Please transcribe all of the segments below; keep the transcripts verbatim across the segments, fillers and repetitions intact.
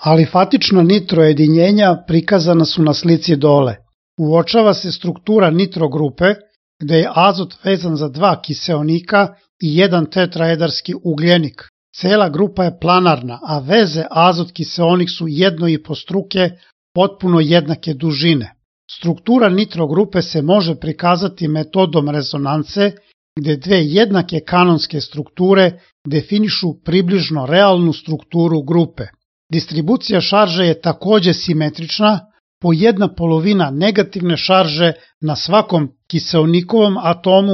Alifatična nitrojedinjenja prikazana su na slici dole. Uočava se struktura nitrogrupe gde je azot vezan za dva kiseonika i jedan tetraedarski ugljenik. Cela grupa je planarna, a veze azot-kiseonik su jedno i po struke potpuno jednake dužine. Struktura nitrogrupe se može prikazati metodom rezonance, gde dve jednake kanonske strukture definišu približno realnu strukturu grupe. Distribucija šarže je takođe simetrična, po jedna polovina negativne šarže na svakom kiseonikovom atomu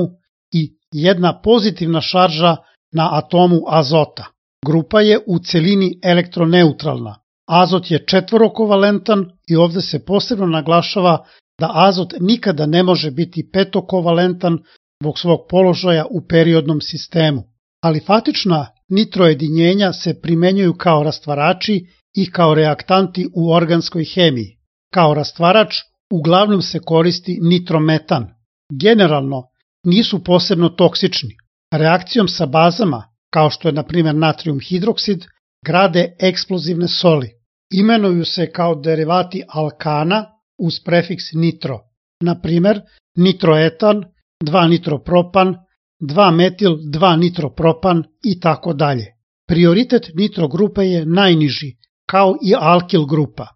i jedna pozitivna šarža na atomu azota. Grupa je u celini elektroneutralna. Azot je četvorokovalentan i ovde se posebno naglašava da azot nikada ne može biti petokovalentan zbog svog položaja u periodnom sistemu. Alifatična nitrojedinjenja se primenjuju kao rastvarači i kao reaktanti u organskoj hemiji. Kao rastvarač uglavnom se koristi nitrometan. Generalno nisu posebno toksični. Reakcijom sa bazama, kao što je na primjer natrijum hidroksid, grade eksplozivne soli. Imenuju se kao derivati alkana uz prefiks nitro. Na primjer nitroetan, dva nitropropan, dva metil, dva nitropropan i tako dalje. Prioritet nitrogrupe je najniži, kao i alkil grupa.